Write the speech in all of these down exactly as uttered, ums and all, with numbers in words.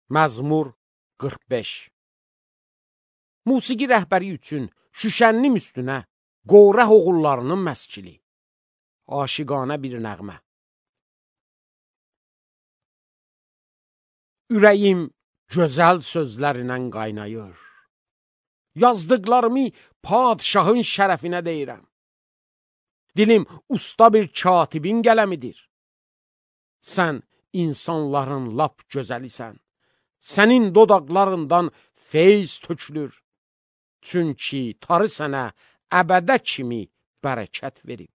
Məzmur qırx beş. Musiqi rəhbəri üçün Şüşənnim üstünə Qorah oğullarının məskili. Aşiqanə bir nəğmə. Ürəyim gözəl sözlərlə qaynayır. Yazdıqlarımı padşahın şərəfinə deyirəm. Dilim usta bir katibin qələmidir. Sən insanların lap gözəlisən. Sənin dodaqlarından feyz tökülür. Çünki tarı sənə əbədə kimi bərəkət verib.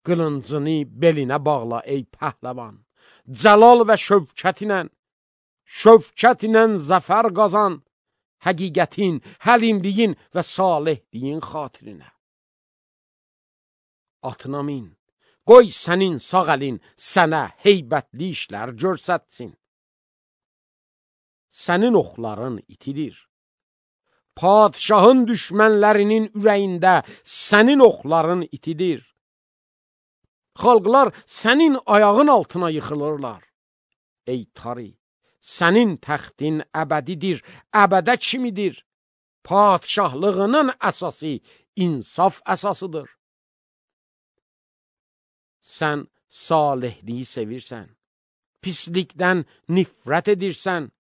Qılıncını belinə bağla ey pəhləvan. Cəlal və şövkətinlə, şövkətinlə zəfər qazan. Həqiqətin, həlimliyin və salihliyin xatirinə. Atına min, qoy sənin sağ əlin sənə heybətli işlər görsətsin. Sənin oxların itilir. Padşahın düşmənlərinin ürəyində sənin oxların itilir. Xalqlar sənin ayağın altına yıxılırlar. Ey tarı, sənin təxtin əbədidir, əbədə kimidir. Padşahlığının əsası insaf əsasıdır. Sən salihliyi sevirsən, pislikdən nifrət edirsən.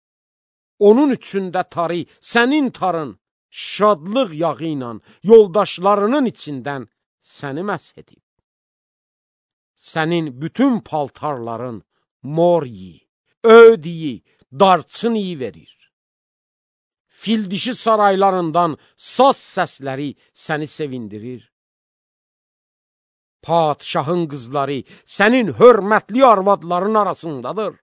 Onun üçündə tarı, sənin tarın, şadlıq yağı ilə yoldaşlarının içindən səni məsh edib. Sənin bütün paltarların mor iyi, öd iyi, darçın iyi verir. Fil dişi saraylarından saz səsləri səni sevindirir. Padşahın qızları sənin hörmətli arvadların arasındadır.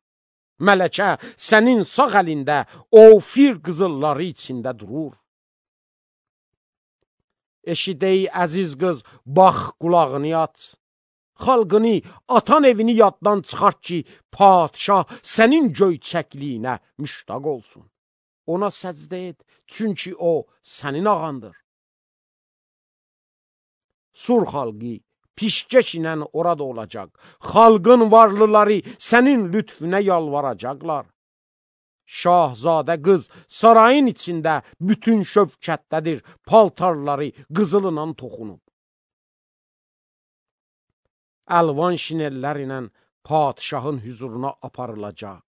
Mələkə sənin sağ əlində Ofir qızılları içində durur. Eşidey əziz qız, bax qulağını aç. Xalqını, atan evini yaddan çıxart ki, padşah sənin göyçəkliyinə müştaq olsun. Ona səcdə et, çünki o sənin ağandır. Sur xalqı pişkeş ilə orada olacaq. Xalqın varlıları sənin lütfünə yalvaracaqlar. Şahzadə qız sarayın içində bütün şövkətdədir, paltarları qızılından toxunub. Əlvan şinellər ilə padşahın hüzuruna aparılacaq.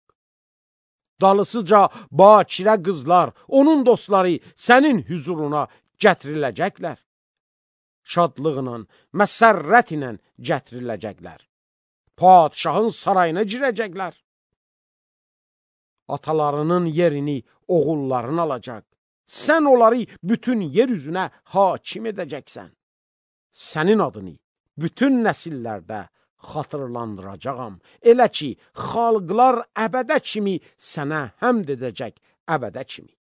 Dalısıca bakirə qızlar, onun dostları sənin hüzuruna gətiriləcəklər. Şadlıqla, məsərrət ilə gətiriləcəklər. Padşahın sarayına girəcəklər. Atalarının yerini oğulların alacaq. Sən onları bütün yer üzünə hakim edəcəksən. Sənin adını bütün nəsillərdə xatırlandıracağam. Elə ki, xalqlar əbədə kimi sənə həmd edəcək, əbədə kimi.